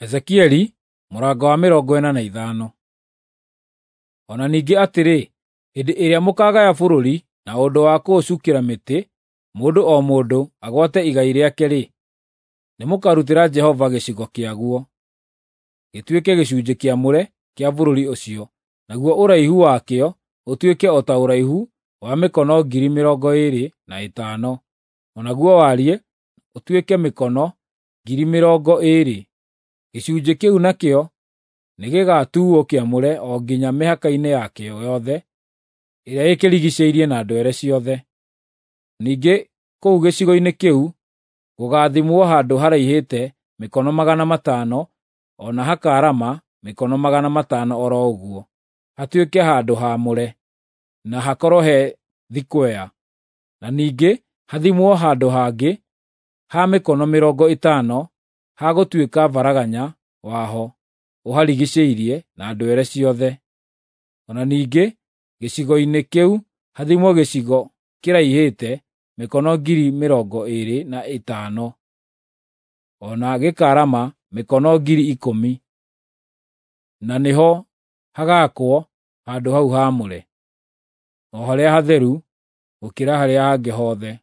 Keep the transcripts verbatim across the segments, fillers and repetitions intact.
Ezekieli mũrango wa mĩrongo ĩna na ithano. O na ningĩ atĩrĩ, hĩndĩ ĩrĩa mũkaagaya bũrũri na ũndũ wa kũũcukĩra mĩtĩ, mũndũ o mũndũ agwate igai rĩake-rĩ, nĩmũkarutĩra Jehova gĩcigo kĩaguo, gĩtuĩke gĩcunjĩ kĩamũre kĩa bũrũri ũcio, naguo ũraihu wakĩo ũtuĩke o ta ũraihu wa mĩkono ngiri mĩrongo ĩĩrĩ na ĩtano, o naguo wariĩ ũtuĩke mĩkono ngiri mĩrongo ĩĩrĩ. Gĩcunjĩ kĩu nakĩo nĩgĩgatuuo kĩamũre o nginya mĩhaka-inĩ yakĩo yothe ĩrĩa ĩkĩrigiicĩirie na ndwere ciothe. Ningĩ kũu gĩcigo-inĩ kĩu gũgaathimwo handũ haraihĩte mĩkono magana matano o na hakaarama mĩkono magana matano o ro ũguo, hatuĩke handũ haamũre, na hakorwo he thikwea. Na ningĩ hathimwo handũ hangĩ ha mĩkono mĩrongo ĩtano ha gũtuĩka varaganya waho ũharigiicĩirie na ndwere ciothe. O na ningĩ gĩcigo-inĩ kĩu hathimwo gĩcigo kĩraihĩte mĩkono ngiri mĩrongo ĩĩrĩ na ĩtano, o na gĩkaarama mĩkono ngiri ikũmi, na nĩho hagaakwo handũ hau haamũre, o harĩa hatheru gũkĩra harĩa hangĩ hothe.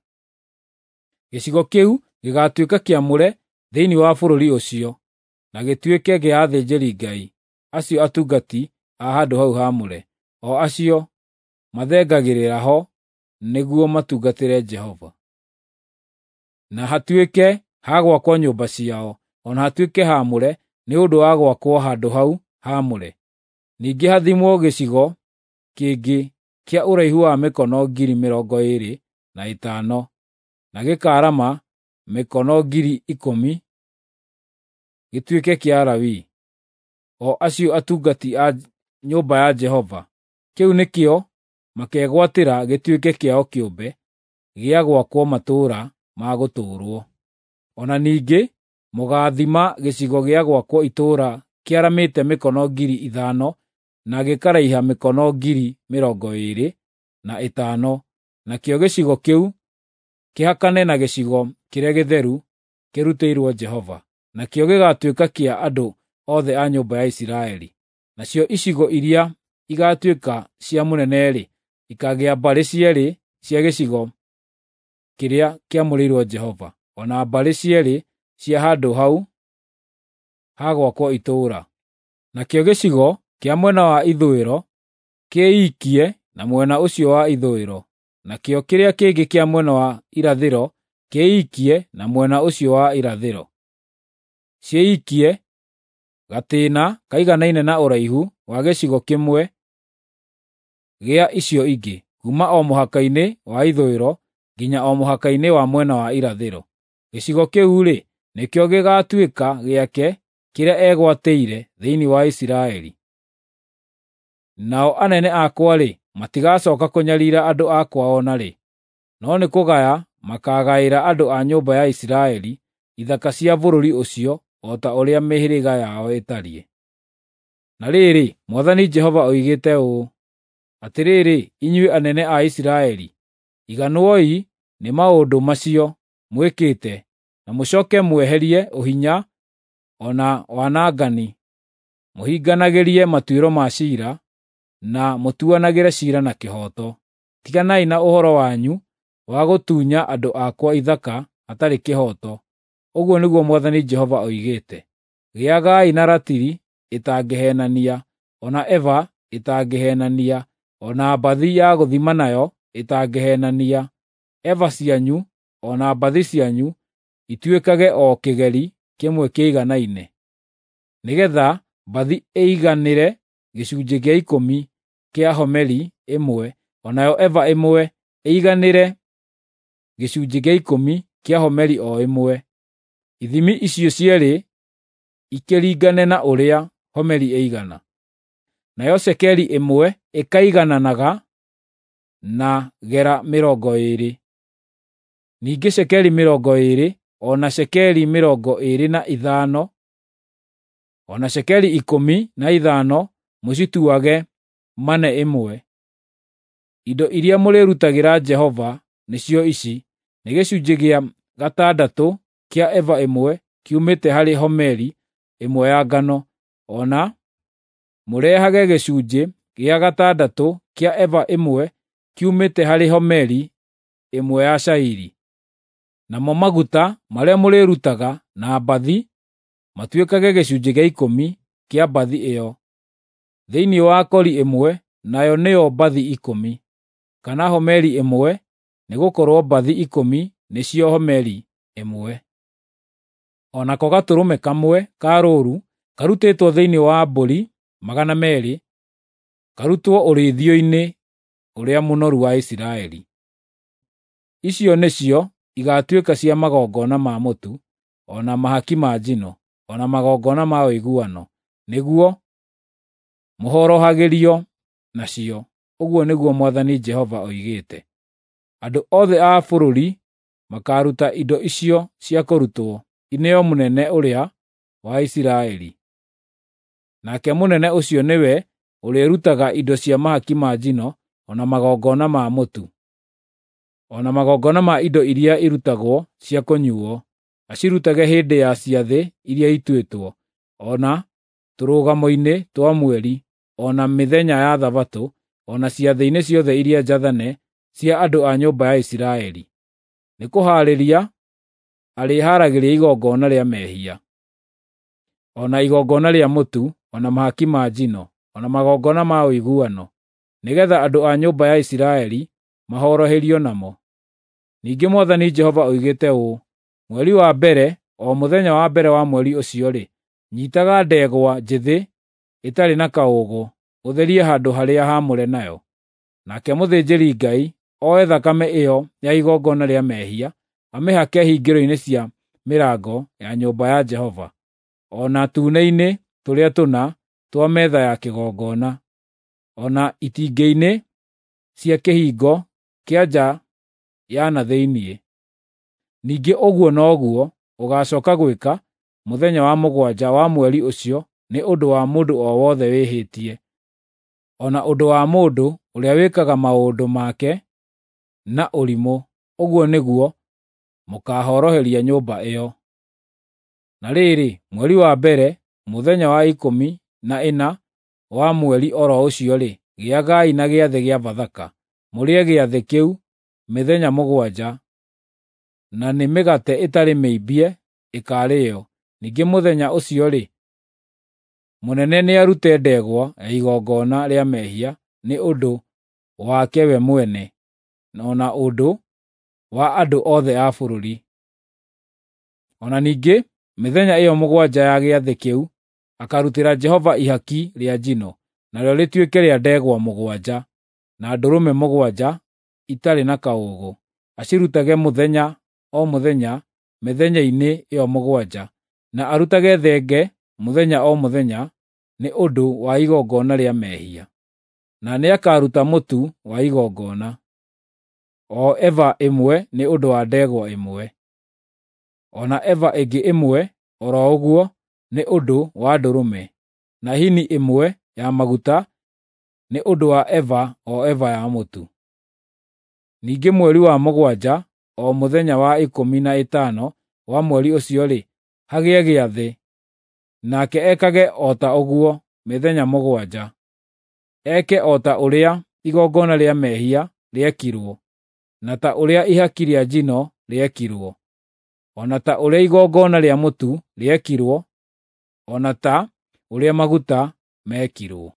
Gĩcigo kĩu gĩgaatuĩka kĩamũre thĩinĩ wa bũrũri ũcio, na gĩtuĩke kĩa athĩnjĩri-Ngai acio atungati a handũ hau haamũre, o acio mathengagĩrĩra ho nĩguo matungatĩre Jehova. Na hatuĩke ha gwakwo nyũmba ciao, o na hatuĩke haamũre nĩ ũndũ wa gwakwo handũ hau haamũre. Ningĩ hathimwo gĩcigo kĩngĩ kĩa ũraihu wa mĩkono ngiri mĩrongo ĩĩrĩ na ĩtano, na gĩkaarama mĩkono ngiri ikũmi, gĩtuĩke kĩa Alawii, o acio atungati a nyũmba ya Jehova. Kĩu nĩkĩo makegwatĩra gĩtuĩke kĩao kĩũmbe gĩa gwakwo matũũra ma gũtũũrwo. O na ningĩ mũgaathima gĩcigo gĩa gwakwo itũũra kĩaramĩte mĩkono ngiri ithano na gĩkaraiha mĩkono ngiri mĩrongo ĩĩrĩ na ĩtano, nakĩo gĩcigo kĩu kĩhakane na gĩcigo kĩrĩa gĩtheru kĩrutĩirwo Jehova, nakĩo gĩgaatuĩka kĩa andũ othe a nyũmba ya Isiraeli. Nacio icigo iria igaatuĩka cia mũnene-rĩ, ikaagĩa mbarĩ cierĩ cia gĩcigo kĩrĩa kĩamũrĩirwo Jehova, o na mbarĩ cierĩ cia handũ hau ha gwakwo itũũra. Nakĩo gĩcigo kĩa mwena wa ithũĩro kĩĩikie na mwena ũcio wa ithũĩro, nakĩo kĩrĩa kĩngĩ kĩa mwena wa irathĩro kĩĩikie na mwena ũcio wa irathĩro. Ciĩikie gatĩĩna kaiganaine na ũraihu wa gĩcigo kĩmwe gĩa icio ingĩ, kuuma o mũhaka-inĩ wa ithũĩro nginya o mũhaka-inĩ wa mwena wa irathĩro. Gĩcigo kĩu-rĩ, nĩkĩo gĩgaatuĩka gĩake kĩrĩa egwatĩire thĩinĩ wa Isiraeli. Nao anene akwa-rĩ, matigacooka kũnyariira andũ akwa o na rĩ, no nĩ kũgaya makaagaĩra andũ a nyũmba ya Isiraeli ithaka cia bũrũri ũcio o ta ũrĩa mĩhĩrĩga yao ĩtariĩ. Na rĩrĩ, Mwathani Jehova oigĩte ũũ: Atĩrĩrĩ, inyuĩ anene a Isiraeli, iganwoi nĩ maũndũ macio mwĩkĩte, na mũcooke mweherie ũhinya o na wanangani, mũhinganagĩrie matuĩro ma ciira, na mũtuanagĩre ciira na kĩhooto. Tiganai na ũhoro wanyu wa gũtunya andũ akwa ithaka hatarĩ kĩhooto, ũguo nĩguo Mwathani Jehova oigĩte. Gĩagai na ratiri ĩtangĩheenania, o na eba ĩtangĩheenania, o na mbathi ya gũthima nayo ĩtangĩheenania. Eba cianyu o na mbathi cianyu ituĩkage o kĩgeri kĩmwe kĩiganaine, nĩgeetha mbathi ĩiganĩre gĩcunjĩ gĩa ikũmi kĩa homeri ĩmwe, o nayo eba ĩmwe ĩiganĩre gĩcunjĩ gĩa ikũmi kĩa homeri o ĩmwe. Ithimi icio cierĩ ikĩringane na ũrĩa homeri ĩigana. Nayo cekeri ĩmwe ĩkaigananaga na gera mĩrongo ĩĩrĩ. Ningĩ cekeri mĩrongo ĩĩrĩ, o na cekeri mĩrongo ĩĩrĩ na ithano, o na cekeri ikũmi na ithano mũcituage mane ĩmwe. Indo iria mũrĩrutagĩra Jehova nĩcio ici: nĩ gĩcunjĩ gĩa gatandatũ kĩa eba ĩmwe kiumĩte harĩ homeri, ĩmwe ya ngano, o na mũrehage gĩcunjĩ gĩa gatandatũ kĩa eba ĩmwe kiumĩte harĩ homeri ĩmwe ya cairi. Namo maguta marĩa mũrĩrutaga na mbathi matuĩkage gĩcunjĩ gĩa ikũmi kĩa mbathi ĩyo thĩinĩ wa kori ĩmwe, nayo nĩyo mbathi ikũmi, kana homeri ĩmwe, nĩgũkorwo mbathi ikũmi nĩcio homeri ĩmwe. O nako gatũrũme kamwe ka rũũru karutĩtwo thĩinĩ wa mbũri magana meerĩ, karutwo ũrĩithio-inĩ ũrĩa mũnoru wa Isiraeli. Icio nĩcio igaatuĩka cia magongona ma mũtu, o na mahaki ma njino, o na magongona ma ũiguano, nĩguo mũhorohagĩrio nacio, ũguo nĩguo Mwathani Jehova oigĩte. Andũ othe a bũrũri makaaruta indo icio cia kũrutwo ineo mũnene ũrĩa wa Isiraeli. Nake mũnene ũcio nĩwe ũrĩrutaga indo cia mahaki ma njino, o na magongona ma mũtu, o na magongona ma indo iria irutagwo cia kũnyuuo, acirutage hĩndĩ ya ciathĩ iria ituĩtwo, o na tũrũgamo-inĩ twa mweri, o na mĩthenya ya Thabatũ, o na ciathĩ-inĩ ciothe iria njathane cia andũ a nyũmba ya Isiraeli. Nĩkũhaarĩria arĩhaaragĩria igongona rĩa mehia, o na igongona rĩa mũtu, o na mahaki ma njino, o na magongona ma ũiguano, nĩgeetha andũ a nyũmba ya Isiraeli mahoroherio namo. Ningĩ Mwathani Jehova oigĩte ũũ: Mweri wa mbere, o mũthenya wa mbere wa mweri ũcio-rĩ, nyiitaga ndegwa njĩthĩ ĩtarĩ na kaũũgũ, ũtherie handũ-harĩa-haamũre nayo. Nake mũthĩnjĩri-Ngai oe thakame ĩyo ya igongona rĩa mehia, amĩhake hingĩro-inĩ cia mĩrango ya nyũmba ya Jehova, o na tuune-inĩ tũrĩa tũna twa metha ya kĩgongona, o na itingĩ-inĩ cia kĩhingo kĩa nja ya na thĩinĩ. Ningĩ ũguo noguo ũgaacooka gwĩka mũthenya wa mũgwanja wa mweri ũcio nĩ ũndũ wa mũndũ o wothe wĩhĩtie, o na ũndũ wa mũndũ ũrĩa wĩkaga maũndũ make na ũrimũ, ũguo nĩguo mũkaahoroheria nyũmba ĩyo. Na rĩrĩ, mweri wa mbere, mũthenya wa ikũmi na ĩna wa mweri o ro ũcio-rĩ, gĩagai na gĩathĩ kĩa Bathaka. Mũrĩe gĩathĩ kĩu mĩthenya mũgwanja, na nĩ mĩgate ĩtarĩ mĩimbie ĩkaarĩĩo. Ningĩ mũthenya ũcio-rĩ, mũnene nĩarute ndegwa ya igongona rĩa mehia nĩ ũndũ wake we mwene, o na ũndũ wa andũ othe a bũrũri. O na ningĩ mĩthenya ĩyo mũgwanja ya gĩathĩ kĩu akarutĩra Jehova ihaki rĩa njino, narĩo rĩtuĩke rĩa ndegwa mũgwanja, na ndũrũme mũgwanja itarĩ na kaũũgũ, acirutage mũthenya o mũthenya mĩthenya-inĩ ĩyo mũgwanja, na arutage thenge mũthenya o mũthenya nĩ ũndũ wa igongona rĩa mehia. Na nĩakaruta mũtu wa igongona, o eba ĩmwe nĩ ũndũ wa ndegwa ĩmwe, o na eba ĩngĩ ĩmwe o ro ũguo nĩ ũndũ wa ndũrũme, na hini ĩmwe ya maguta nĩ ũndũ wa eba o eba ya mũtu. Ningĩ mweri wa mũgwanja, o mũthenya wa ikũmi na ĩtano wa mweri ũcio-rĩ, hagĩe gĩathĩ, nake ekage o ta ũguo mĩthenya mũgwanja. Eke o ta ũrĩa igongona rĩa mehia rĩekirwo, na ta ũrĩa ihaki rĩa njino rĩekirwo, o na ta ũrĩa igongona rĩa mũtu rĩekirwo, o na ta ũrĩa maguta mekirwo.